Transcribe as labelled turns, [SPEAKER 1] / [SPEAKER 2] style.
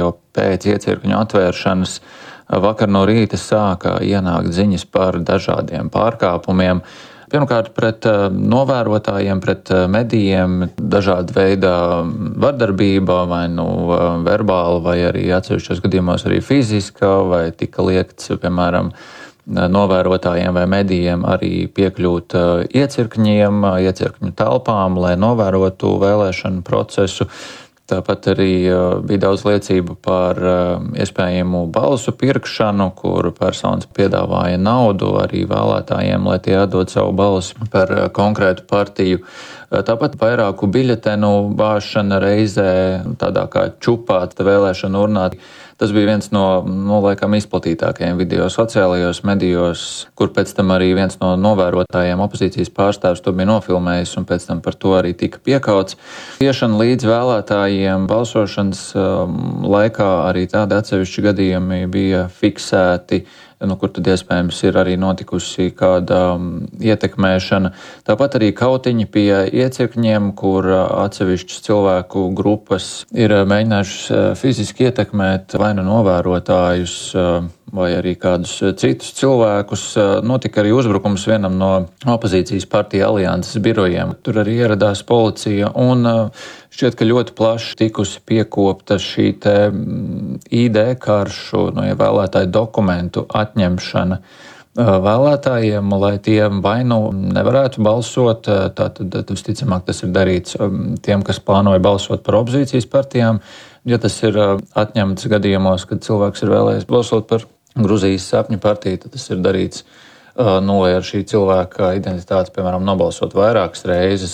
[SPEAKER 1] jau pēc iecirkņu atvēršanas vakar no rīta sāka ienākt ziņas par dažādiem pārkāpumiem. Pirmkārt, pret novērotājiem, pret medijiem, dažāda veida vardarbība, vai verbāla, vai arī atsevišķos gadījumos arī fiziska, vai tika liekts, piemēram, novērotājiem vai medijiem arī piekļūt iecirkņu telpām, lai novērotu vēlēšanu procesu. Tāpat arī bija daudz liecību par iespējamu balsu pirkšanu, kur personas piedāvāja naudu arī vēlētājiem, lai tie atdod savu balsi par konkrētu partiju. Tāpat vairāku biļetenu bāšana reizē, tādā kā čupāt vēlēšanu urnā. Tas bija viens no laikam izplatītākajiem video sociālajos medijos, kur pēc tam arī viens no novērotājiem, opozīcijas pārstāvs, to bija nofilmējis un pēc tam par to arī tika piekauts. Iešana līdz vēlētājiem balsošanas laikā arī tādi atsevišķi gadījumi bija fiksēti, kur tad iespējams ir arī notikusi kāda ietekmēšana. Tāpat arī kautiņi pie iecirkņiem, kur atsevišķas cilvēku grupas ir mēģinājušas fiziski ietekmēt vai novērotājus vai arī kādus citus cilvēkus. Notika arī uzbrukums vienam no opozīcijas partija alianses birojiem. Tur arī ieradās policija un šķiet, ka ļoti plaši tikusi piekopta šī te ID karšu, vēlētāju dokumentu atņemšana vēlētājiem, lai tie vai nevarētu balsot. Tātad visticamāk tas ir darīts tiem, kas plānoja balsot par opozīcijas partijām. Ja tas ir atņemts gadījumos, kad cilvēks ir vēlējies balsot par Gruzijas sapņu partiju, tad tas ir darīts, lai ar šī cilvēka identitāti, piemēram, nobalsot vairākas reizes